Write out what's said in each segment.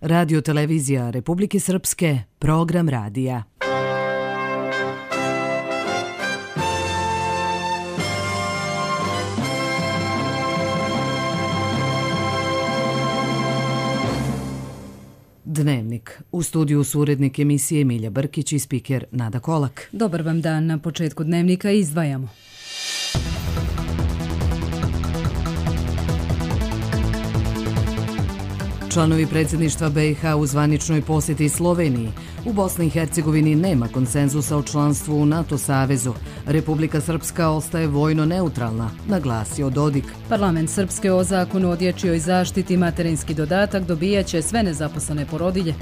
Radio televizija Republike Srpske, program radija. Dnevnik. U studiju su urednik emisije Milja Brkić i spiker Nada Kolak. Dobar vam dan. Na početku Dnevnika izdvajamo. Članovi predsjedništva BiH u zvaničnoj posjeti Sloveniji. U Bosni i Hercegovini nema konsenzusa o članstvu u NATO savezu. Republika Srpska ostaje vojno neutralna, naglasio Dodik. Parlament Srpske o zakonu o dječjoj zaštiti materinski dodatak dobijaće sve nezaposlene porodilje.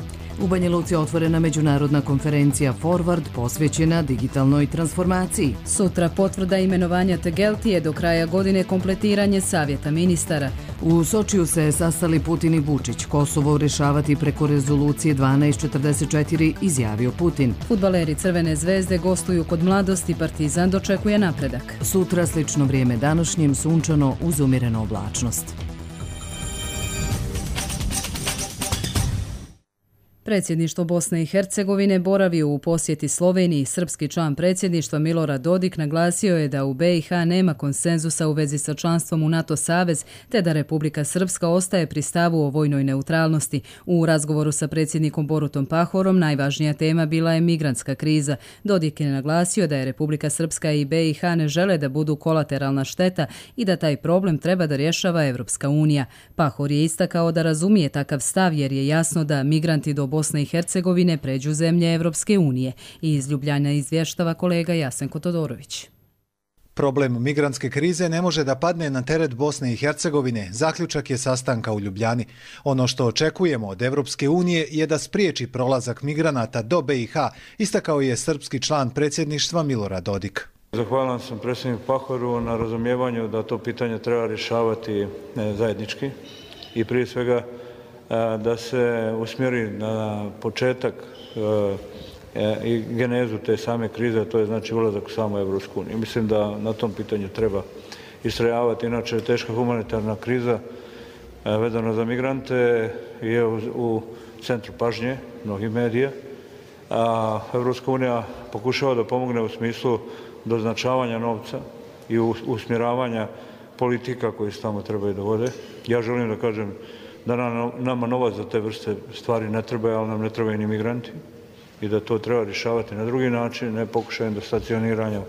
U Banja Luci otvorena međunarodna konferencija Forward posvećena digitalnoj transformaciji. Sutra potvrda imenovanja Tegeltije, do kraja godine kompletiranje savjeta ministara. U Sočiju se sastali Putin i Vučić. Kosovo rješavati preko rezolucije 1244, izjavio Putin. Fudbaleri Crvene zvezde gostuju kod Mladosti, Partizan dočekuje napredak. Sutra slično vrijeme današnjem, sunčano uz umjerenu oblačnost. Predsjedništvo Bosne i Hercegovine boravio u posjeti Sloveniji. Srpski član predsjedništva Milorad Dodik naglasio je da u BiH nema konsenzusa u vezi sa članstvom u NATO savez, te da Republika Srpska ostaje pri stavu o vojnoj neutralnosti. U razgovoru sa predsjednikom Borutom Pahorom najvažnija tema bila je migrantska kriza. Dodik je naglasio da je Republika Srpska i BiH ne žele da budu kolateralna šteta i da taj problem treba da rješava Evropska unija. Pahor je istakao da razumije takav stav jer je jasno da migranti do Bosne i Hercegovine pređu zemlje Evropske unije. I iz Ljubljana izvještava kolega Jasenko Todorović. Problem migrantske krize ne može da padne na teret Bosne i Hercegovine, zaključak je sastanka u Ljubljani. Ono što očekujemo od Evropske unije je da spriječi prolazak migranata do BiH, istakao je srpski član predsjedništva Milorad Dodik. Zahvalan sam predsjedniku Pahoru na razumijevanju da to pitanje treba rješavati zajednički i prije svega da se usmjeri na početak i genezu te same krize, to je znači ulazak u samu Evropsku uniju. Mislim da na tom pitanju treba istrajavati, inače teška humanitarna kriza vezana za migrante je u centru pažnje mnogih medija, a Evropska unija pokušava da pomogne u smislu doznačavanja novca i usmjeravanja politika koji se tamo trebaju da vode. Ja želim da kažem da nama novac za te vrste stvari ne treba, ali nam ne trebaju ni migranti i da to treba rješavati na drugi način, ne pokušajem do stacioniranja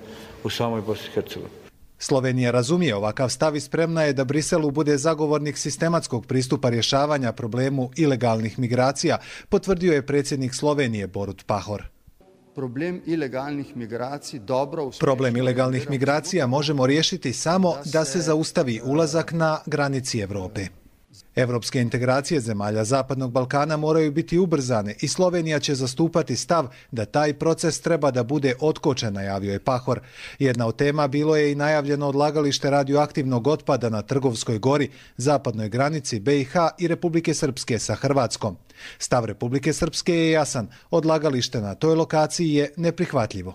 u samoj Bosni i Hercegovini. Slovenija razumije ovakav stav i spremna je da Briselu bude zagovornik sistematskog pristupa rješavanja problemu ilegalnih migracija, potvrdio je predsjednik Slovenije Borut Pahor. Problem ilegalnih migracija možemo riješiti samo da se zaustavi ulazak na granici Evrope. Evropske integracije zemalja Zapadnog Balkana moraju biti ubrzane i Slovenija će zastupati stav da taj proces treba da bude otkočen, najavio je Pahor. Jedna od tema bilo je i najavljeno odlagalište radioaktivnog otpada na Trgovskoj gori, zapadnoj granici BiH i Republike Srpske sa Hrvatskom. Stav Republike Srpske je jasan, odlagalište na toj lokaciji je neprihvatljivo.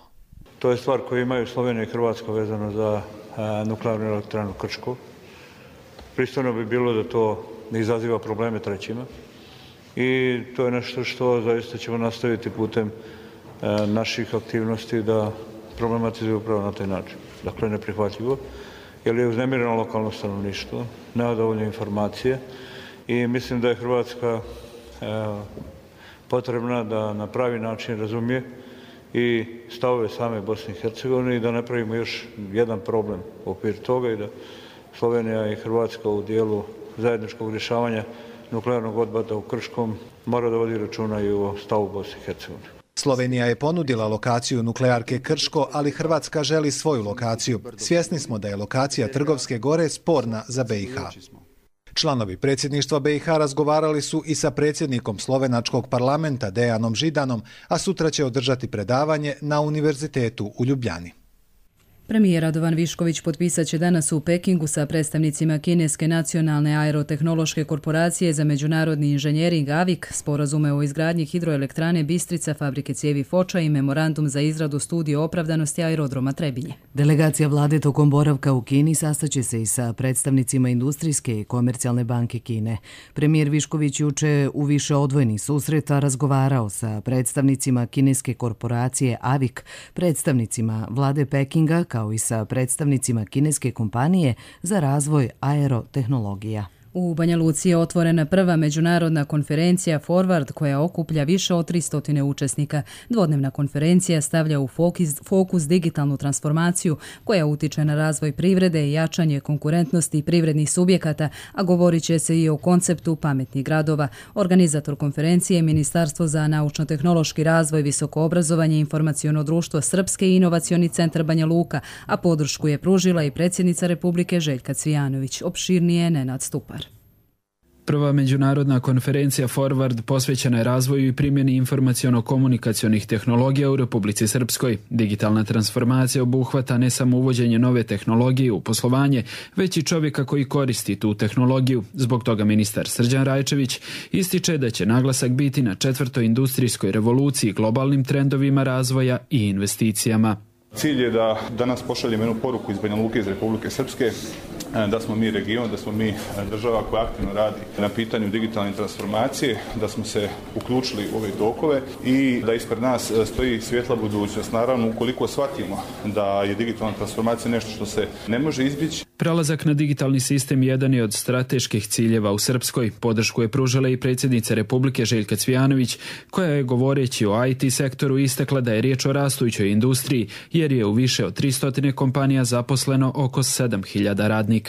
To je stvar koju imaju Slovenija i Hrvatska vezano za nuklearnu elektranu Krško. Pristojno bi bilo da to ne izaziva probleme trećima i to je nešto što zaista ćemo nastaviti putem naših aktivnosti da problematizuje upravo na taj način. Dakle, neprihvatljivo, jer je uznemireno lokalno stanovništvo, nema dovoljne informacije i mislim da je Hrvatska potrebna da na pravi način razumije i stavove same Bosne i Hercegovine i da ne pravimo još jedan problem u okviru toga i da Slovenija i Hrvatska u dijelu zajedničkog rješavanja nuklearnog otpada u Krškom mora da vodi računa i o stavu Bosne i Hercegovine. Slovenija je ponudila lokaciju nuklearke Krško, ali Hrvatska želi svoju lokaciju. Svjesni smo da je lokacija Trgovske gore sporna za BiH. Članovi predsjedništva BiH razgovarali su i sa predsjednikom slovenačkog parlamenta Dejanom Židanom, a sutra će održati predavanje na Univerzitetu u Ljubljani. Premijer Radovan Višković potpisat će danas u Pekingu sa predstavnicima Kineske nacionalne aerotehnološke korporacije za međunarodni inženjering AVIC, sporazume o izgradnji hidroelektrane Bistrica, fabrike cijevi Foča i memorandum za izradu studije opravdanosti aerodroma Trebinje. Delegacija vlade tokom boravka u Kini sastaće se i sa predstavnicima Industrijske i komercijalne banke Kine. Premijer Višković juče u više odvojenih susreta razgovarao sa predstavnicima kineske korporacije AVIC, predstavnicima vlade Pekinga kao i sa predstavnicima kineske kompanije za razvoj aerotehnologija. U Banja Luci je otvorena prva međunarodna konferencija Forward koja okuplja više od 300 učesnika. Dvodnevna konferencija stavlja u fokus digitalnu transformaciju koja utiče na razvoj privrede i jačanje konkurentnosti privrednih subjekata, a govorit će se i o konceptu pametnih gradova. Organizator konferencije je Ministarstvo za naučno-tehnološki razvoj, visoko obrazovanje i informaciono društvo Srpske i inovacioni centar Banja Luka, a podršku je pružila i predsjednica Republike Željka Cvijanović. Opširnije Nenad Stupar. Prva međunarodna konferencija Forward posvećena je razvoju i primjeni informaciono-komunikacionih tehnologija u Republici Srpskoj. Digitalna transformacija obuhvata ne samo uvođenje nove tehnologije u poslovanje, već i čovjeka koji koristi tu tehnologiju. Zbog toga ministar Srđan Rajčević ističe da će naglasak biti na 4. industrijskoj revoluciji, globalnim trendovima razvoja i investicijama. Cilj je da danas pošaljemo jednu poruku iz Banja Luke, iz Republike Srpske, da smo mi region, da smo mi država koja aktivno radi na pitanju digitalne transformacije, da smo se uključili u ove tokove i da ispred nas stoji svjetla budućnost. Naravno, ukoliko shvatimo da je digitalna transformacija nešto što se ne može izbjeći. Prelazak na digitalni sistem jedan je od strateških ciljeva u Srpskoj. Podršku je pružila i predsjednica Republike Željka Cvijanović, koja je govoreći o IT sektoru istakla da je riječ o rastućoj industriji, jer je u više od 300 kompanija zaposleno oko 7.000 radnika.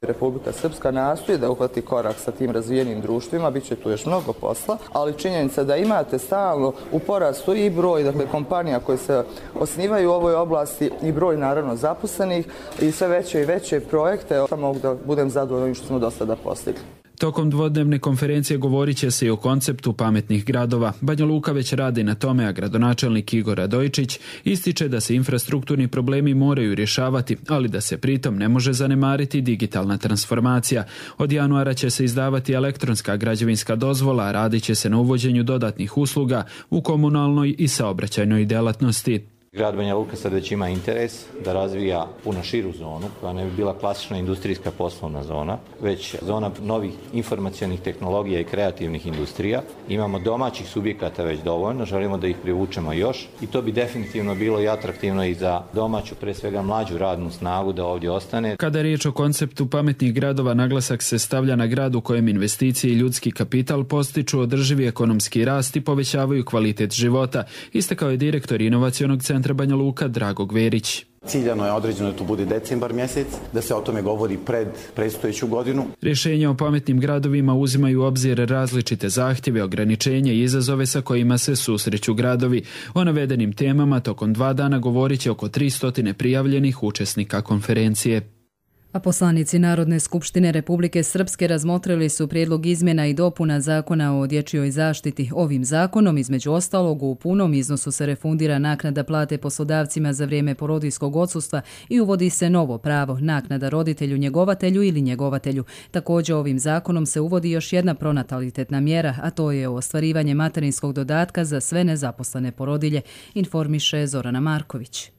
Republika Srpska nastoji da uhvati korak sa tim razvijenim društvima, bit će tu još mnogo posla, ali činjenica da imate stalno u porastu i broj kompanija koje se osnivaju u ovoj oblasti i broj naravno zaposlenih i sve veće i veće projekte, mogu da budem zadovoljna ovim što smo do sada postigli. Tokom dvodnevne konferencije govorit će se i o konceptu pametnih gradova. Banja Luka već radi na tome, a gradonačelnik Igor Radojčić ističe da se infrastrukturni problemi moraju rješavati, ali da se pritom ne može zanemariti digitalna transformacija. Od januara će se izdavati elektronska građevinska dozvola, a radit će se na uvođenju dodatnih usluga u komunalnoj i saobraćajnoj djelatnosti. Grad Banja Luka sad već ima interes da razvija puno širu zonu, koja ne bi bila klasična industrijska poslovna zona, već zona novih informacionih tehnologija i kreativnih industrija. Imamo domaćih subjekata već dovoljno, želimo da ih privučemo još i to bi definitivno bilo i atraktivno i za domaću, pre svega mlađu radnu snagu da ovdje ostane. Kada je riječ o konceptu pametnih gradova, naglasak se stavlja na grad u kojem investicije i ljudski kapital postiču održivi ekonomski rast i povećavaju kvalitet života, istakao je direktor inovacionog centra Banja Luka Drago Gverić. Ciljano je određeno da to bude decembar mjesec, da se o tome govori pred predstojeću godinu. Rješenja o pametnim gradovima uzimaju u obzir različite zahtjeve, ograničenja i izazove sa kojima se susreću gradovi. O navedenim temama tokom 2 dana govorit će oko 300 prijavljenih učesnika konferencije. A poslanici Narodne skupštine Republike Srpske razmotrili su prijedlog izmjena i dopuna Zakona o dječjoj zaštiti. Ovim zakonom, između ostalog, u punom iznosu se refundira naknada plate poslodavcima za vrijeme porodiljskog odsustva i uvodi se novo pravo, naknada roditelju, njegovatelju ili njegovatelju. Također, ovim zakonom se uvodi još jedna pronatalitetna mjera, a to je ostvarivanje materinskog dodatka za sve nezaposlene porodilje, informiše Zorana Marković.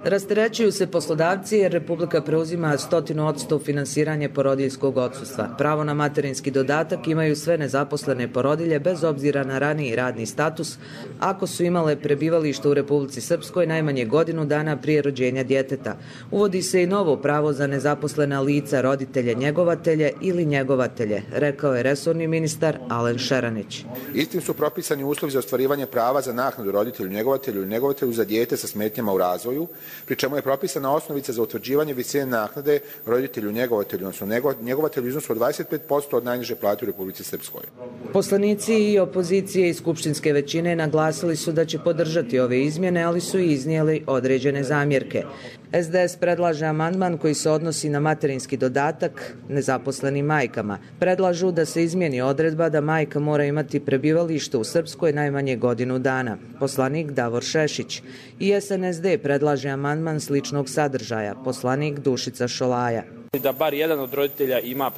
Rasterećuju se poslodavci jer Republika preuzima 100% finansiranje porodiljskog odsustva. Pravo na materinski dodatak imaju sve nezaposlene porodilje bez obzira na raniji radni status, ako su imale prebivalište u Republici Srpskoj najmanje godinu dana prije rođenja djeteta. Uvodi se i novo pravo za nezaposlena lica, roditelje, njegovatelje ili njegovatelje, rekao je resorni ministar Alen Šeranić. Istim su propisani uslovi za ostvarivanje prava za naknadu roditelju, njegovatelju ili njegovatelju za dijete sa smetnjama u razvoju, pri čemu je propisana osnovica za utvrđivanje visine naknade roditelju, njegovatelju, odnosno njegovatelju u iznosu od 25% od najniže plate u Republici Srpskoj. Poslanici i opozicije i skupštinske većine naglasili su da će podržati ove izmjene, ali su i iznijeli određene zamjerke. SDS predlaže amandman koji se odnosi na materinski dodatak nezaposlenim majkama. Predlažu da se izmijeni odredba da majka mora imati prebivalište u Srpskoj najmanje godinu dana. Poslanik Davor Šešić. I SNSD predlaže amandman sličnog sadržaja. Poslanik Dušica Šolaja. Da bar jedan od roditelja ima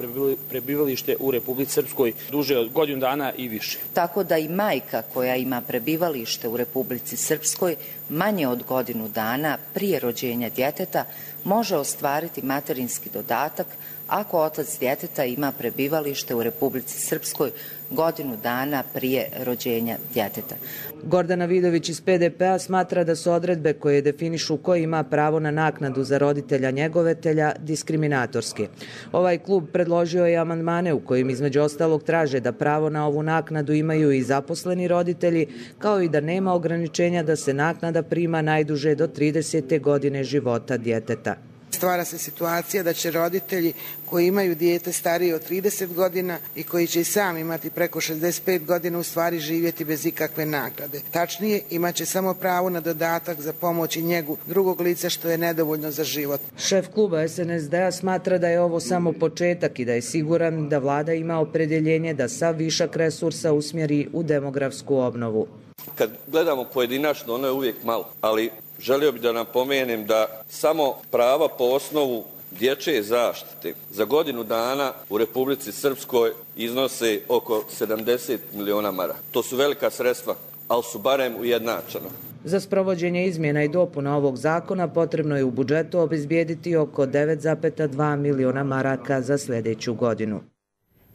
prebivalište u Republici Srpskoj duže od godinu dana i više. Tako da i majka koja ima prebivalište u Republici Srpskoj manje od godinu dana prije rođenja djeteta može ostvariti materinski dodatak ako otac djeteta ima prebivalište u Republici Srpskoj godinu dana prije rođenja djeteta. Gordana Vidović iz PDP-a smatra da su odredbe koje definišu ko ima pravo na naknadu za roditelja njegovatelja diskriminatorske. Ovaj klub predložio je amandmane u kojim između ostalog traže da pravo na ovu naknadu imaju i zaposleni roditelji, kao i da nema ograničenja da se naknada prima najduže do 30. godine života djeteta. Stvara se situacija da će roditelji koji imaju dijete starije od 30 godina i koji će i sami imati preko 65 godina u stvari živjeti bez ikakve naknade. Tačnije, imaće samo pravo na dodatak za pomoć i njegu drugog lica što je nedovoljno za život. Šef kluba SNSD-a smatra da je ovo samo početak i da je siguran da vlada ima opredjeljenje da sav višak resursa usmjeri u demografsku obnovu. Kad gledamo pojedinačno, ono je uvijek malo, ali želio bih da napomenem da samo prava po osnovu dječje zaštite za godinu dana u Republici Srpskoj iznose oko 70 miliona maraka. To su velika sredstva, ali su barem ujednačena. Za sprovođenje izmjena i dopuna ovog zakona potrebno je u budžetu obezbijediti oko 9,2 miliona maraka za sljedeću godinu.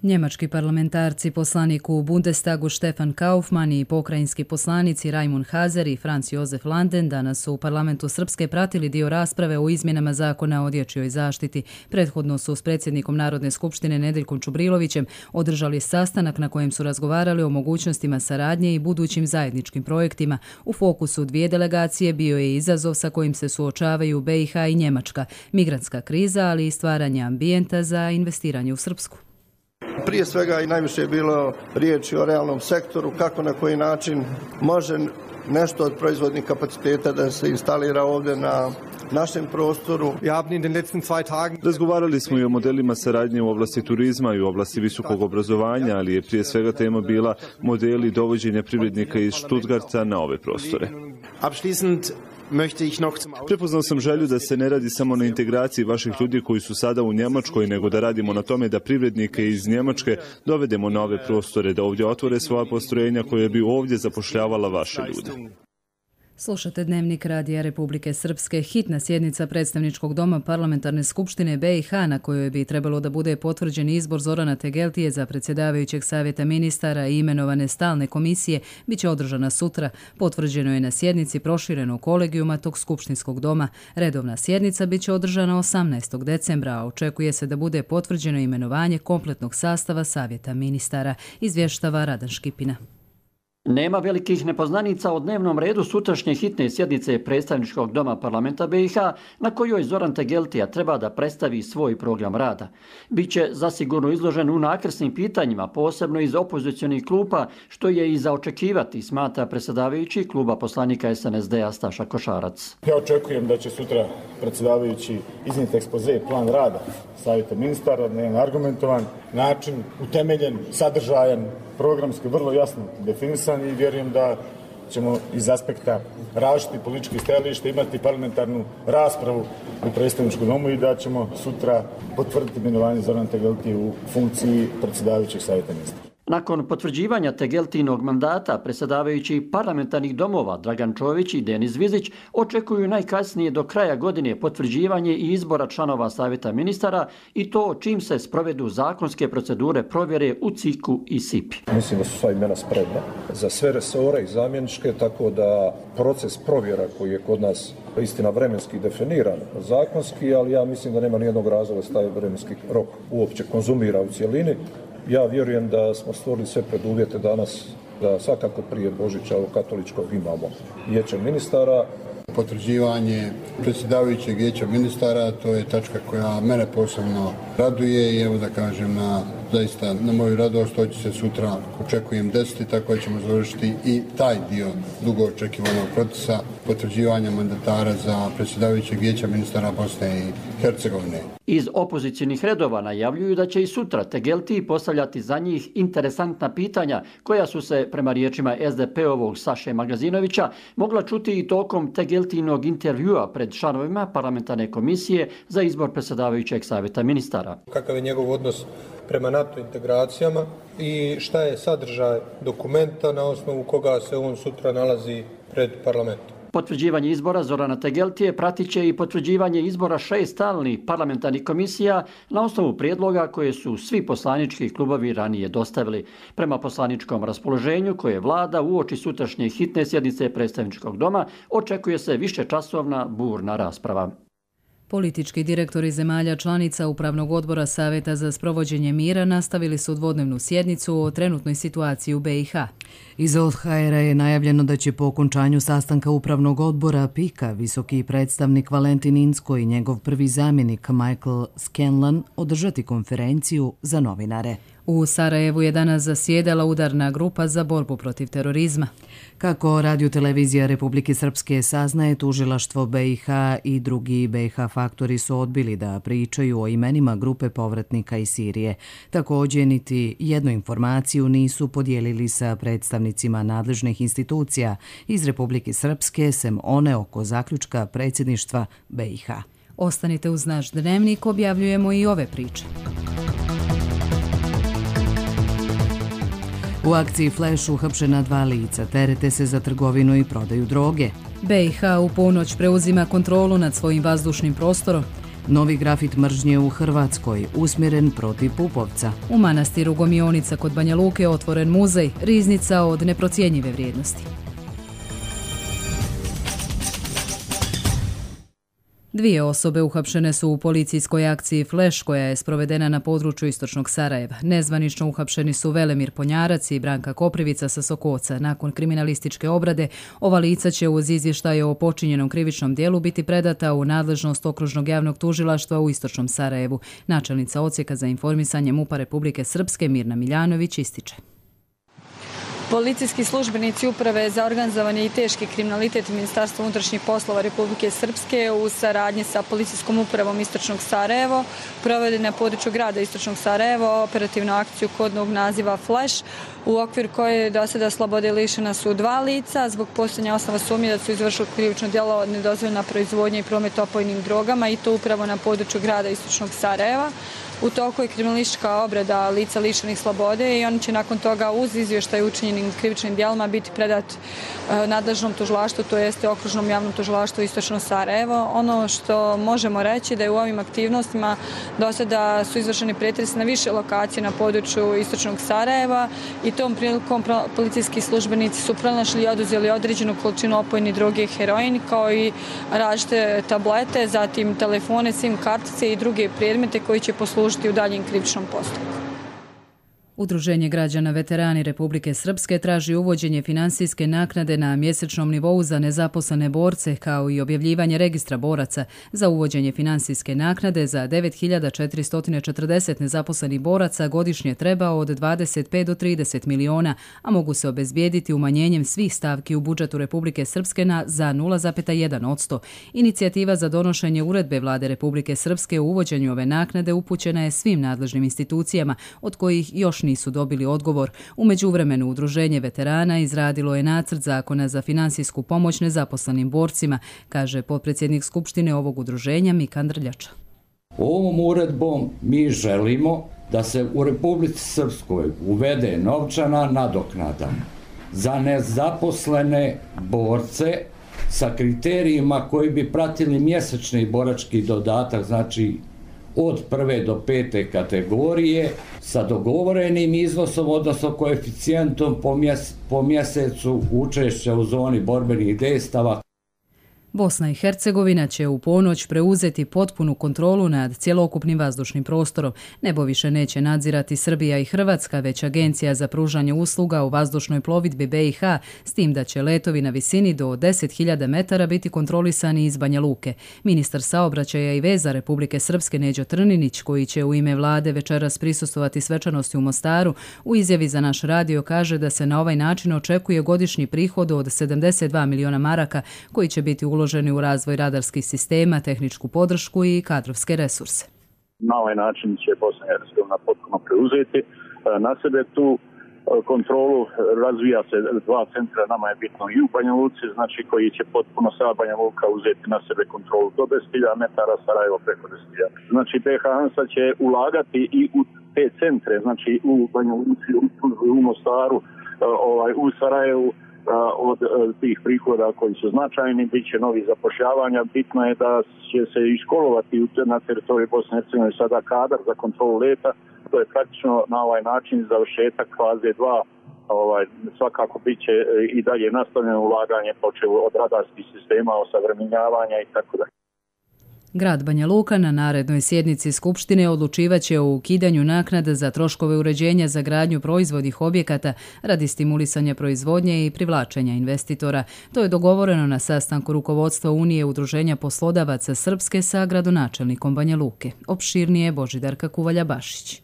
Njemački parlamentarci, poslanik u Bundestagu Stefan Kaufmann i pokrajinski poslanici Raimund Hazer i Franz Josef Landen danas su u parlamentu Srpske pratili dio rasprave o izmjenama zakona o dječjoj zaštiti. Prethodno su s predsjednikom Narodne skupštine Nedeljkom Čubrilovićem održali sastanak na kojem su razgovarali o mogućnostima saradnje i budućim zajedničkim projektima. U fokusu dvije delegacije bio je izazov sa kojim se suočavaju BiH i Njemačka, migrantska kriza, ali i stvaranje ambijenta za investiranje u Srpsku. Prije svega i najviše je bilo riječi o realnom sektoru, kako na koji način može nešto od proizvodnih kapaciteta da se instalira ovdje na našem prostoru. Razgovarali smo i o modelima saradnje u oblasti turizma i u oblasti visokog obrazovanja, ali je prije svega tema bila modeli dovođenja privrednika iz Stuttgarta na ove prostore. Prepoznao sam želju da se ne radi samo na integraciji vaših ljudi koji su sada u Njemačkoj, nego da radimo na tome da privrednike iz Njemačke dovedemo na ove prostore, da ovdje otvore svoja postrojenja koje bi ovdje zapošljavala vaše ljude. Slušate Dnevnik Radija Republike Srpske. Hitna sjednica Predstavničkog doma Parlamentarne skupštine BiH na kojoj bi trebalo da bude potvrđen izbor Zorana Tegeltije za predsjedavajućeg savjeta ministara i imenovane stalne komisije biće održana sutra. Potvrđeno je na sjednici proširenog kolegijuma tog skupštinskog doma. Redovna sjednica biće održana 18. decembra, a očekuje se da bude potvrđeno imenovanje kompletnog sastava savjeta ministara, izvještava Radan Škipina. Nema velikih nepoznanica o dnevnom redu sutrašnje hitne sjednice Predstavničkog doma parlamenta BiH na kojoj Zoran Tegeltija treba da predstavi svoj program rada. Biće zasigurno izložen u nakrsnim pitanjima, posebno iz opozicionih klupa, što je i za očekivati, smatra predsjedavajući kluba poslanika SNSD-a Staša Košarac. Ja očekujem da će sutra predsjedavajući iznijeti ekspoze, plan rada savjeta ministara na jedan argumentovan način, utemeljen, sadržajan, programski vrlo jasno definisan i vjerujem da ćemo iz aspekta različitih političkih stajališta imati parlamentarnu raspravu u predstavničkom domu i da ćemo sutra potvrditi imenovanje Zorana Tegeltije u funkciji predsjedavajućeg savjeta ministara. Nakon potvrđivanja Tegeltinog mandata, predsjedavajući parlamentarnih domova Dragan Čović i Denis Vizić očekuju najkasnije do kraja godine potvrđivanje i izbora članova savjeta ministara i to čim se sprovedu zakonske procedure provjere u CIK-u i SIP-i. Mislim da su sva imena spremna za sve resore i zamjeničke, tako da proces provjera koji je kod nas istina vremenski definiran zakonski, ali ja mislim da nema nijednog razloga da se taj vremenski rok uopće konzumira u cjelini. Ja vjerujem da smo stvorili sve preduvjete danas da svakako prije Božića ovog katoličkog imamo vijeće ministara. Potvrđivanje predsjedavajućeg vijeća ministara, to je tačka koja mene posebno raduje i evo da kažem na zaista na moju radost, to će se sutra, očekujem, desiti, tako da ćemo završiti i taj dio dugo očekivanog procesa potvrđivanja mandatara za predsjedavajućeg vijeća ministara Bosne i Hercegovine. Iz opozicijnih redova najavljuju da će i sutra Tegeltiji postavljati za njih interesantna pitanja koja su se, prema riječima SDP-ovog Saše Magazinovića, mogla čuti i tokom Tegeltijinog intervjua pred članovima parlamentarne komisije za izbor predsjedavajućeg savjeta ministara. Kakav je njegov odnos prema NATO integracijama i šta je sadržaj dokumenta na osnovu koga se on sutra nalazi pred parlamentom. Potvrđivanje izbora Zorana Tegeltije pratit će i potvrđivanje izbora 6 stalnih parlamentarnih komisija na osnovu prijedloga koje su svi poslanički klubovi ranije dostavili. Prema poslaničkom raspoloženju koje vlada uoči sutrašnje hitne sjednice predstavničkog doma očekuje se višečasovna burna rasprava. Politički direktori zemalja članica Upravnog odbora Savjeta za sprovođenje mira nastavili su dvodnevnu sjednicu o trenutnoj situaciji u BiH. Iz ODHR-a je najavljeno da će po okončanju sastanka Upravnog odbora PIK-a visoki predstavnik Valentin Inzko i njegov prvi zamjenik Michael Scanlon održati konferenciju za novinare. U Sarajevu je danas zasjedala udarna grupa za borbu protiv terorizma. Kako radiotelevizija Republike Srpske saznaje, tužilaštvo BiH i drugi BiH faktori su odbili da pričaju o imenima grupe povratnika iz Sirije. Također, niti jednu informaciju nisu podijelili sa predstavnicima nadležnih institucija iz Republike Srpske, sem one oko zaključka predsjedništva BiH. Ostanite uz naš dnevnik, objavljujemo i ove priče. U akciji Flash uhapšena 2 lica, terete se za trgovinu i prodaju droge. BiH u ponoć preuzima kontrolu nad svojim vazdušnim prostorom. Novi grafit mržnje u Hrvatskoj, usmjeren protiv Pupovca. U manastiru Gomionica kod Banja Luke otvoren muzej, riznica od neprocjenjive vrijednosti. 2 osobe uhapšene su u policijskoj akciji Flash koja je sprovedena na području istočnog Sarajeva. Nezvanično uhapšeni su Velemir Ponjarac i Branka Koprivica sa Sokoca. Nakon kriminalističke obrade, ova lica će uz izvještaje o počinjenom krivičnom dijelu biti predata u nadležnost Okružnog javnog tužilaštva u istočnom Sarajevu. Načelnica odsjeka za informisanje MUP-a Republike Srpske Mirna Miljanović ističe. Policijski službenici Uprave za organizovani i teški kriminalitet Ministarstva unutrašnjih poslova Republike Srpske u saradnji sa Policijskom upravom Istočnog Sarajevo provede na području grada Istočnog Sarajevo operativnu akciju kodnog naziva Flash, u okviru koje je do sada slobode lišena su 2 lica zbog postojanja osnova sumnje da su izvršili krivično djelo nedozvoljena proizvodnja i promet opojnim drogama, i to upravo na području grada Istočnog Sarajeva. U toku je kriminalistička obrada lica lišenih slobode i oni će nakon toga uz izvještaj učinjenim krivičnim djelima biti predat nadležnom tužilaštvu, to jeste Okružnom javnom tužilaštvu Istočno Sarajevo. Ono što možemo reći da je u ovim aktivnostima do sada su izvršeni pretresi na više lokacije na području Istočnog Sarajeva i tom prilikom policijski službenici su pronašli i oduzeli određenu količinu opojne droge i heroin, kao i različite tablete, zatim telefone, SIM kartice i druge predmete koji će poslužiti u daljem krivičnom postupku. Udruženje građana veterani Republike Srpske traži uvođenje finansijske naknade na mjesečnom nivou za nezaposlene borce, kao i objavljivanje registra boraca. Za uvođenje finansijske naknade za 9440 nezaposlenih boraca godišnje treba od 25 do 30 miliona, a mogu se obezbijediti umanjenjem svih stavki u budžetu Republike Srpske za 0,1%. Inicijativa za donošenje uredbe Vlade Republike Srpske u uvođenju ove naknade upućena je svim nadležnim institucijama, od kojih još nisu dobili odgovor. U međuvremenu Udruženje veterana izradilo je nacrt zakona za finansijsku pomoć nezaposlenim borcima, kaže potpredsjednik Skupštine ovog udruženja Mika Andrljača. Ovom uredbom mi želimo da se u Republici Srpskoj uvede novčana nadoknada za nezaposlene borce sa kriterijima koji bi pratili mjesečni borački dodatak, znači od 1. do 5. kategorije sa dogovorenim iznosom, odnosno koeficijentom po mjesecu učešća u zoni borbenih dejstava. Bosna i Hercegovina će u ponoć preuzeti potpunu kontrolu nad cjelokupnim vazdušnim prostorom. Nebo više neće nadzirati Srbija i Hrvatska, već Agencija za pružanje usluga u vazdušnoj plovidbi BiH, s tim da će letovi na visini do 10.000 metara biti kontrolisani iz Banja Luke. Ministar saobraćaja i veza Republike Srpske Neđo Trninić, koji će u ime vlade večeras prisustvovati svečanosti u Mostaru, u izjavi za naš radio kaže da se na ovaj način očekuje godišnji prihod od 72 miliona maraka koji će biti uloženi u razvoj radarskih sistema, tehničku podršku i kadrovske resurse. Na ovaj način će Bosna i Hercegovina potpuno preuzeti na sebe tu kontrolu. Razvija se 2 centra, nama je bitno i u Banja Luci, znači koji će potpuno sa Banja Luka uzeti na sebe kontrolu do 10.000 metara, Sarajevo preko 10.000. Znači BiH ANSA će ulagati i u te centre, znači u Banja Luci, u Mostaru, u Sarajevu. Od tih prihoda koji su značajni, bit će novi zapošljavanja. Bitno je da će se iškolovati na teritoriji Bosne i Hercegovine sada kadar za kontrolu leta. To je praktično na ovaj način završetak faze 2. Svakako bit će i dalje nastavljeno ulaganje počev od radarskih sistema, osavremenjavanja i tako dalje. Grad Banja Luka na narednoj sjednici Skupštine odlučivaće o ukidanju naknada za troškove uređenja za gradnju proizvodnih objekata radi stimulisanja proizvodnje i privlačenja investitora. To je dogovoreno na sastanku rukovodstva Unije udruženja poslodavaca Srpske sa gradonačelnikom Banja Luke. Opširnije Božidarka Kuvalja-Bašić.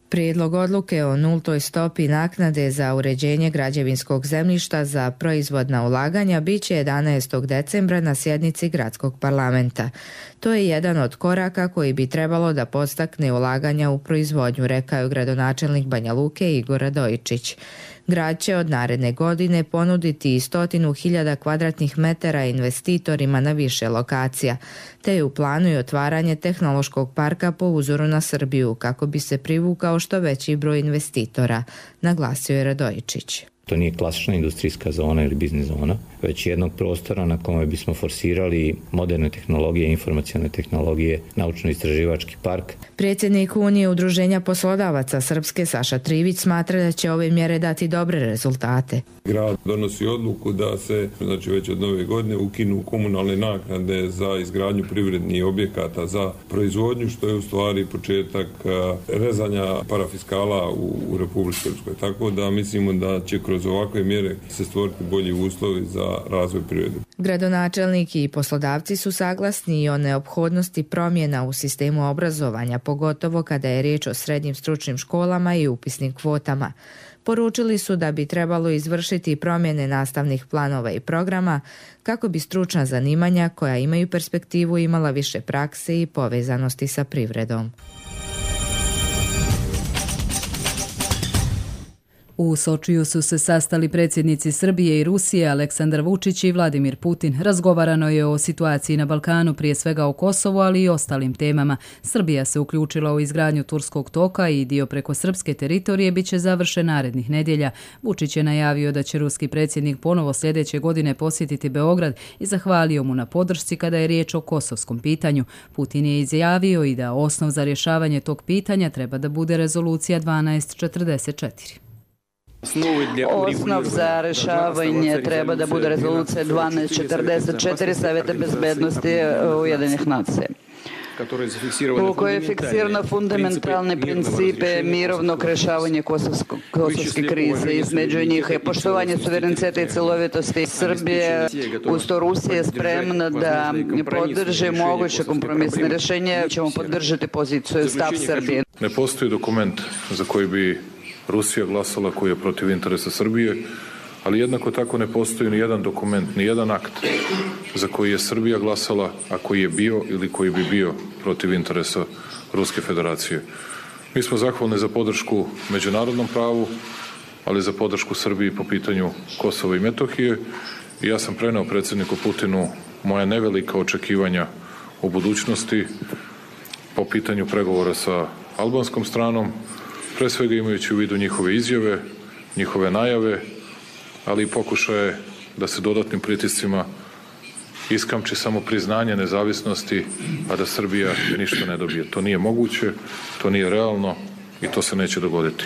Prijedlog odluke o nultoj stopi naknade za uređenje građevinskog zemljišta za proizvodna ulaganja biće 11. decembra na sjednici Gradskog parlamenta. To je jedan od koraka koji bi trebalo da podstakne ulaganja u proizvodnju, rekao je gradonačelnik Banja Luke Igor Radojičić. Grad će od naredne godine ponuditi 100.000 kvadratnih metara investitorima na više lokacija, te je u planu i otvaranje tehnološkog parka po uzoru na Srbiju kako bi se privukao što veći broj investitora, naglasio je Radojičić. To nije klasična industrijska zona ili biznis zona, već jednog prostora na kome bismo forsirali moderne tehnologije, informacione tehnologije, naučno-istraživački park. Predsjednik Unije udruženja poslodavaca Srpske Saša Trivić smatra da će ove mjere dati dobre rezultate. Grad donosi odluku da se već od nove godine ukinu komunalne naknade za izgradnju privrednih objekata za proizvodnju, što je u stvari početak rezanja parafiskala u Republici Srpskoj. Tako da mislimo da će kroz ovakve mjere se stvoriti bolji uslovi za razvoj privrede. Gradonačelnik i poslodavci su saglasni i o neophodnosti promjena u sistemu obrazovanja, pogotovo kada je riječ o srednjim stručnim školama i upisnim kvotama. Poručili su da bi trebalo izvršiti promjene nastavnih planova i programa kako bi stručna zanimanja koja imaju perspektivu imala više prakse i povezanosti sa privredom. U Sočiju su se sastali predsjednici Srbije i Rusije Aleksandar Vučić i Vladimir Putin. Razgovarano je o situaciji na Balkanu, prije svega o Kosovu, ali i ostalim temama. Srbija se uključila u izgradnju Turskog toka i dio preko srpske teritorije biće završen narednih nedjelja. Vučić je najavio da će ruski predsjednik ponovo sljedeće godine posjetiti Beograd i zahvalio mu na podršci kada je riječ o kosovskom pitanju. Putin je izjavio i da osnov za rješavanje tog pitanja treba da bude rezolucija 1244. Osnov za rešavanje treba da bude rezolucija 1244 Savjeta bezbednosti Ujedinjenih nacija, u kojoj je fiksirano fundamentalne principe mirovnog rešavanja kosovske krize. Između njih je poštovanje suvereniteta i celovitosti Srbije. Uz to Rusija je spremna da podrži moguće kompromisne rješenje. Ćemo podržati poziciju stav Srbije. Ne postoji dokument za koji bi Rusija glasala, koji je protiv interesa Srbije, ali jednako tako ne postoji ni jedan dokument, ni jedan akt za koji je Srbija glasala, a koji je bio ili koji bi bio protiv interesa Ruske federacije. Mi smo zahvalni za podršku međunarodnom pravu, ali za podršku Srbiji po pitanju Kosova i Metohije. I ja sam preneo predsjedniku Putinu moja nevelika očekivanja u budućnosti po pitanju pregovora sa albanskom stranom, pre svega imajući u vidu njihove izjave, njihove najave, ali i pokušaje da se dodatnim pritiscima iskamči samo priznanje nezavisnosti, a da Srbija ništa ne dobije. To nije moguće, to nije realno i to se neće dogoditi.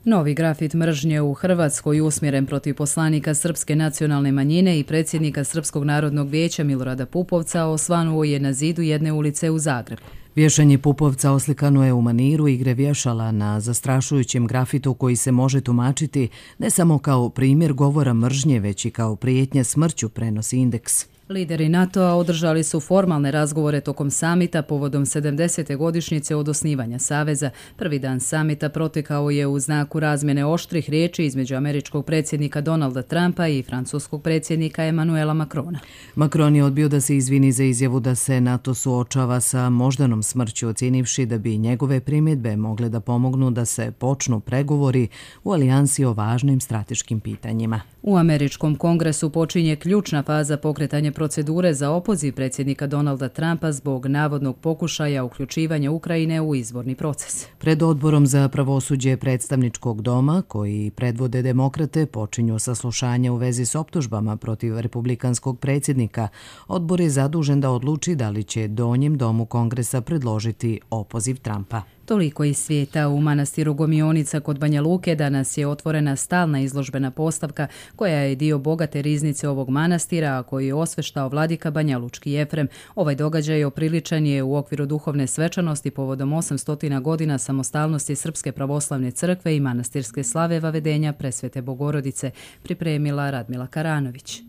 Novi grafit mržnje u Hrvatskoj usmjeren protiv poslanika srpske nacionalne manjine i predsjednika Srpskog narodnog vijeća Milorada Pupovca osvanuo je na zidu jedne ulice u Zagrebu. Vješanje Pupovca oslikano je u maniru igre vješala na zastrašujućem grafitu koji se može tumačiti ne samo kao primjer govora mržnje, već i kao prijetnja smrću, prenosi Indeks. Lideri NATO-a održali su formalne razgovore tokom samita povodom 70. godišnjice od osnivanja Saveza. Prvi dan samita protekao je u znaku razmjene oštrih riječi između američkog predsjednika Donalda Trumpa i francuskog predsjednika Emmanuela Macrona. Macron je odbio da se izvini za izjavu da se NATO suočava sa moždanom smrću, ocijenivši da bi njegove primjedbe mogle da pomognu da se počnu pregovori u alijansi o važnim strateškim pitanjima. U američkom kongresu počinje ključna faza pokretanja procedure za opoziv predsjednika Donalda Trumpa zbog navodnog pokušaja uključivanja Ukrajine u izborni proces. Pred odborom za pravosuđe predstavničkog doma, koji predvode demokrate, počinju saslušanja u vezi s optužbama protiv republikanskog predsjednika. Odbor je zadužen da odluči da li će donjem domu kongresa predložiti opoziv Trumpa. Toliko iz svijeta. U manastiru Gomionica kod Banja Luke danas je otvorena stalna izložbena postavka koja je dio bogate riznice ovog manastira, a koji je osveštao vladika Banjalučki Jefrem. Ovaj događaj opriličan je u okviru duhovne svečanosti povodom 800 godina samostalnosti Srpske pravoslavne crkve i manastirske slave vavedenja Presvete Bogorodice, pripremila Radmila Karanović.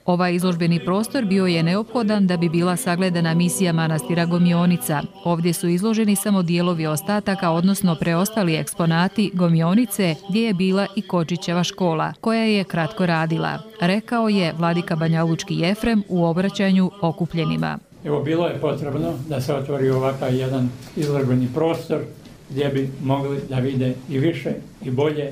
Ovaj izložbeni prostor bio je neophodan da bi bila sagledana misija manastira Gomionica. Ovdje su izloženi samo dijelovi ostataka, odnosno preostali eksponati Gomionice, gdje je bila i Kočićeva škola, koja je kratko radila, rekao je vladika Banjalučki Jefrem u obraćanju okupljenima. Evo, bilo je potrebno da se otvori ovakav jedan izložbeni prostor gdje bi mogli da vide i više i bolje.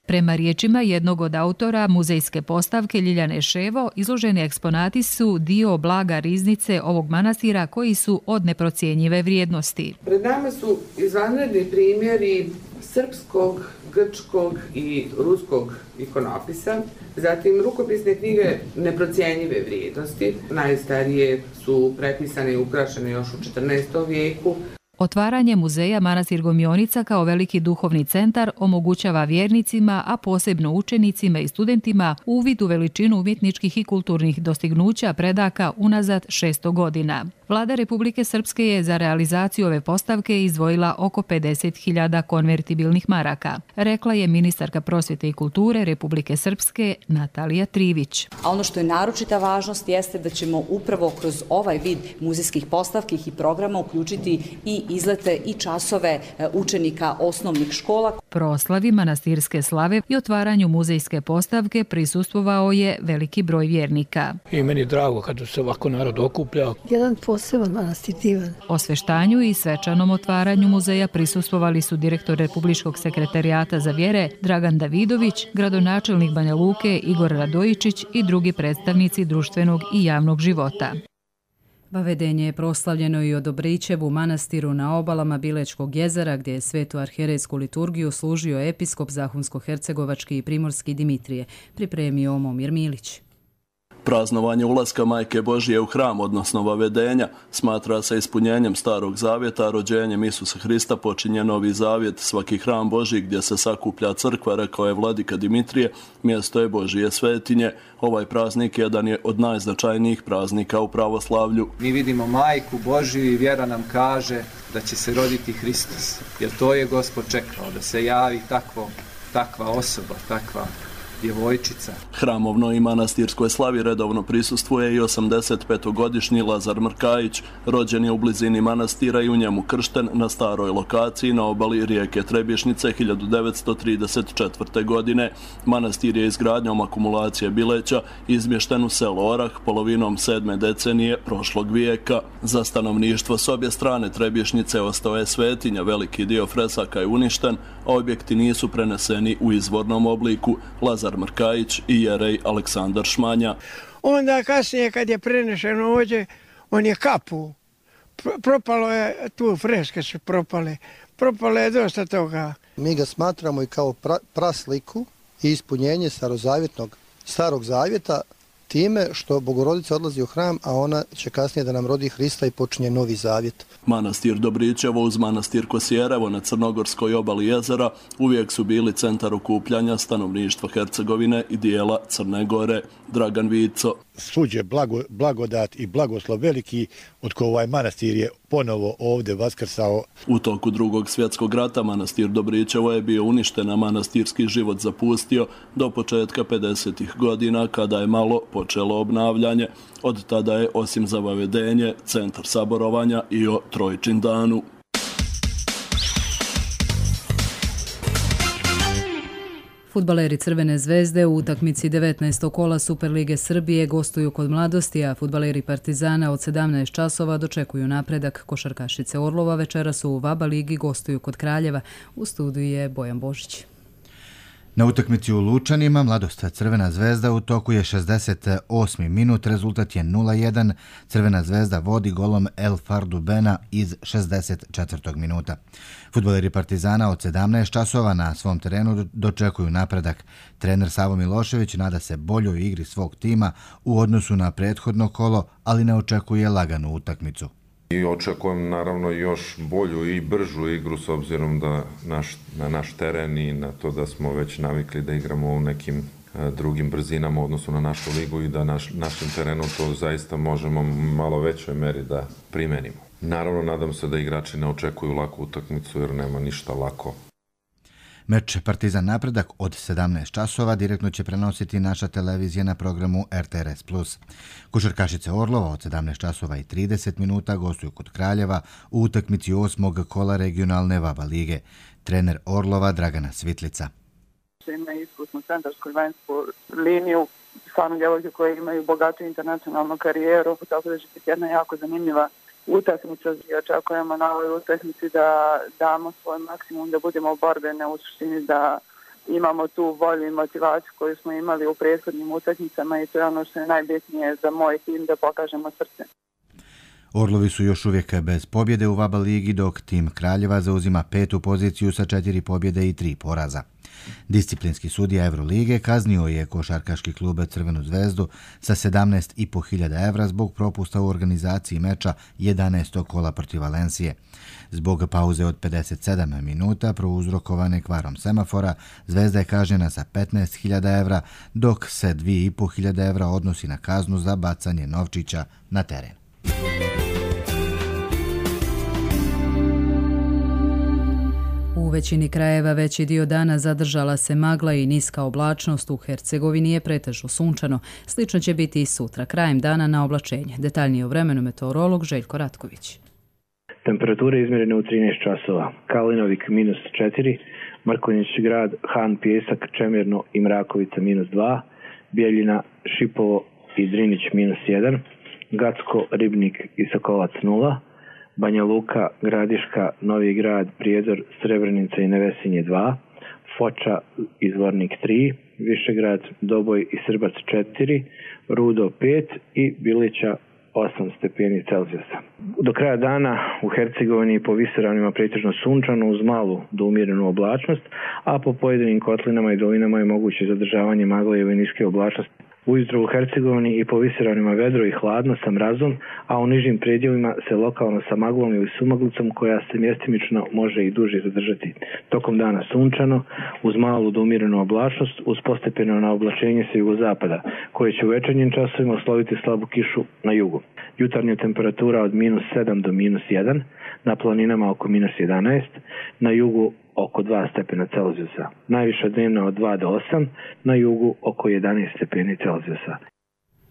Prema riječima jednog od autora muzejske postavke Ljiljane Ševo, izloženi eksponati su dio blaga riznice ovog manastira koji su od neprocjenjive vrijednosti. Pred nama su izvanredni primjeri srpskog, grčkog i ruskog ikonopisa, zatim rukopisne knjige neprocjenjive vrijednosti, najstarije su prepisane i ukrašene još u 14. vijeku. Otvaranje muzeja Manastir Gomionica kao veliki duhovni centar omogućava vjernicima, a posebno učenicima i studentima, uvid u veličinu umjetničkih i kulturnih dostignuća predaka unazad 600 godina. Vlada Republike Srpske je za realizaciju ove postavke izdvojila oko 50.000 konvertibilnih maraka, rekla je ministarka prosvjete i kulture Republike Srpske Natalija Trivić. A ono što je naročita važnost jeste da ćemo upravo kroz ovaj vid muzejskih postavki i programa uključiti i izlete i časove učenika osnovnih škola. Proslavi manastirske slave i otvaranju muzejske postavke prisustvovao je veliki broj vjernika. I meni je drago kada se ovako narod okuplja. Jedan poseban manastir divan. Osveštanju i svečanom otvaranju muzeja prisustvovali su direktor Republičkog sekretarijata za vjere Dragan Davidović, gradonačelnik Banja Luke Igor Radojičić i drugi predstavnici društvenog i javnog života. Vavedenje je proslavljeno i od Dobrićevu manastiru na obalama Bilečkog jezera, gdje je svetu arhijerejsku liturgiju služio episkop Zahumsko-hercegovački i primorski Dimitrije, pripremio Momir Milić. Praznovanje ulaska Majke Božije u hram, odnosno vavedenja, smatra se ispunjenjem Starog zavjeta, a rođenjem Isusa Hrista počinje Novi zavjet. Svaki hram Božji gdje se sakuplja crkva, rekao je vladika Dimitrije, mjesto je Božije svetinje. Ovaj praznik jedan je od najznačajnijih praznika u pravoslavlju. Mi vidimo Majku Božiju i vjera nam kaže da će se roditi Hristos, jer to je Gospod čekao, da se javi takva osoba, takva djevojčica. Hramovnoj i manastirskoj slavi redovno prisustvuje i 85-godišnji Lazar Mrkajić. Rođen je u blizini manastira i u njemu kršten na staroj lokaciji na obali rijeke Trebješnice 1934. godine. Manastir je izgradnjom akumulacije Bileća izmješten u selo Orah polovinom 7. decenije prošlog vijeka. Za stanovništvo s obje strane Trebješnice ostao je svetinja, veliki dio fresaka je uništen, a objekti nisu preneseni u izvornom obliku. Lazar Mrkajić i jerej Aleksandar Šmanja. Onda kasnije kad je prenešeno ovdje, on je kapu. Propalo je, tu freske su propale. Propalo je dosta toga. Mi ga smatramo i kao prasliku i ispunjenje Starog Zavjeta time što Bogorodica odlazi u hram, a ona će kasnije da nam rodi Hrista i počinje novi zavjet. Manastir Dobrićevo uz manastir Kosjerevo na crnogorskoj obali jezera uvijek su bili centar okupljanja stanovništva Hercegovine i dijela Crne Gore. Dragan Vico. Suđe blagodat i blagoslov veliki od koje ovaj manastir je ponovo ovdje vaskrsao. U toku Drugog svjetskog rata manastir Dobrićevo je bio uništen, a manastirski život zapustio do početka 50. godina kada je malo počelo obnavljanje. Od tada je osim za vavedenje centar saborovanja i o Trojčindanu. Fudbaleri Crvene zvezde u utakmici 19. kola Superlige Srbije gostuju kod Mladosti, a fudbaleri Partizana od 17 časova dočekuju napredak. Košarkašice Orlova večeras u VABA ligi gostuju kod Kraljeva. U studiju je Bojan Božić. Na utakmici u Lučanima Mladost Crvena zvezda u toku je 68. minut, rezultat je 0-1. Crvena zvezda vodi golom El Fardubena iz 64. minuta. Fudbaleri Partizana od 17 časova na svom terenu dočekuju napredak. Trener Savo Milošević nada se boljoj igri svog tima u odnosu na prethodno kolo, ali ne očekuje laganu utakmicu. I očekujem naravno još bolju i bržu igru s obzirom da na naš teren i na to da smo već navikli da igramo u nekim drugim brzinama u odnosu na našu ligu i da našem terenu to zaista možemo u malo većoj meri da primenimo. Naravno, nadam se da igrači ne očekuju laku utakmicu jer nema ništa lako. Meč Partizan napredak od 17 časova direktno će prenositi naša televizija na programu RTRS+. Košarkašice Orlova od 17 časova i 30 minuta gostuju kod Kraljeva u utakmici 8. kola regionalne VABA lige. Trener Orlova Dragana Svitlica. Ima iskusnu centarsku i vanjsku liniju, stvarno djevojke koje imaju bogatu internacionalnu karijeru, tako da će biti jedna jako zanimljiva utakmica i očekujemo na ovoj utakmici da damo svoj maksimum, da budemo borbene, u suštini da imamo tu volju i motivaciju koju smo imali u prethodnim utakmicama i to je ono što je najbitnije za moj tim, da pokažemo srce. Orlovi su još uvijek bez pobjede u VABA ligi, dok tim Kraljeva zauzima 5. poziciju sa 4 pobjede i 3 poraza. Disciplinski sudija Evrolige kaznio je košarkaški klub Crvenu zvezdu sa 17.500 evra zbog propusta u organizaciji meča 11. kola protiv Valencije. Zbog pauze od 57 minuta prouzrokovane kvarom semafora, Zvezda je kažnjena sa 15.000 evra, dok se 2.500 evra odnosi na kaznu za bacanje novčića na teren. U većini krajeva veći dio dana zadržala se magla i niska oblačnost. U Hercegovini je pretežno sunčano. Slično će biti i sutra, krajem dana na oblačenje. Detaljnije o vremenu meteorolog Željko Ratković. Temperature izmjerene u 13 časova. Kalinovik -4, Mrkonjić grad, Han, Pjesak, Čemirno i Mrakovica -2, Bijeljina, Šipovo i Drinić -1, Gacko, Ribnik i Sokolac 0, Banja Luka, Gradiška, Novi Grad, Prijedor, Srebrenica i Nevesinje 2, Foča i Zvornik 3, Višegrad, Doboj i Srbac 4, Rudo 5 i Bilića 8 stepeni Celzijusa. Do kraja dana u Hercegovini po visoravnima pretežno sunčano uz malu do umjerenu oblačnost, a po pojedinim kotlinama i dolinama je moguće zadržavanje magle i niske oblačnosti. Ujutro u Hercegovini i po visoravnima vedro i hladno sa mrazom, a u nižim predjelima se lokalno sa maglom ili sumaglicom koja se mjestimično može i duže zadržati. Tokom dana sunčano, uz malu do umjerenu oblačnost, uz postepeno na oblačenje sa jugozapada, koje će u večernjim časovima osloviti slabu kišu na jugu. Jutarnja temperatura od -7 do -1, na planinama oko -11, na jugu oko 2 stepena Celzijusa. Najviša dnevna od 2 do 8, na jugu oko 11 stepeni Celzijusa.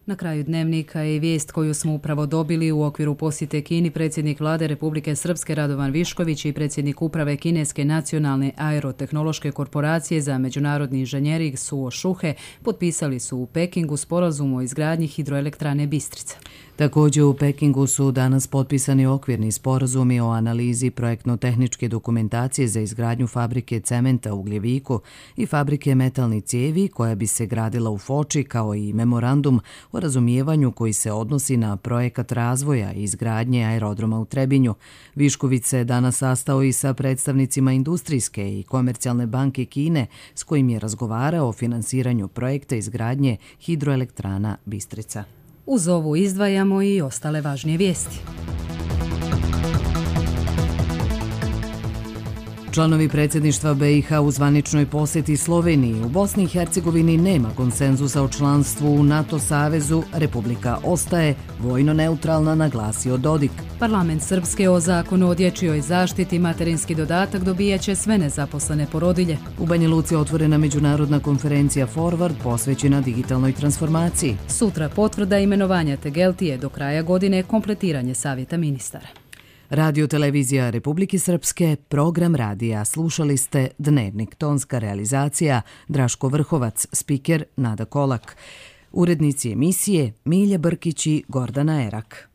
Na kraju dnevnika je vijest koju smo upravo dobili u okviru posjete Kini. Predsjednik Vlade Republike Srpske Radovan Višković i predsjednik uprave Kineske nacionalne aerotehnološke korporacije za međunarodni inženjering Suo Šuhe potpisali su u Pekingu sporazum o izgradnji hidroelektrane Bistrica. Također u Pekingu su danas potpisani okvirni sporazumi o analizi projektno-tehničke dokumentacije za izgradnju fabrike cementa u Gljeviku i fabrike metalnih cijevi koja bi se gradila u Foči, kao i memorandum o razumijevanju koji se odnosi na projekat razvoja i izgradnje aerodroma u Trebinju. Višković se danas sastao i sa predstavnicima industrijske i komercijalne banke Kine, s kojim je razgovarao o finansiranju projekta izgradnje hidroelektrana Bistrica. Uz ovu izdvajamo i ostale važnije vijesti. Članovi predsjedništva BiH u zvaničnoj posjeti Sloveniji u Bosni i Hercegovini nema konsenzusa o članstvu u NATO savezu, Republika ostaje vojno neutralna, naglasio Dodik. Parlament Srpske o zakonu o dječjoj zaštiti materinski dodatak dobijaće sve nezaposlene porodilje. U Banja Luci otvorena međunarodna konferencija Forward posvećena digitalnoj transformaciji. Sutra potvrda imenovanja Tegeltije, do kraja godine kompletiranje savjeta ministara. Radio televizija Republike Srpske, program radija. Slušali ste Dnevnik, tonska realizacija Draško Vrhovac, spiker Nada Kolak. Urednici emisije Milja Brkić i Gordana Erak.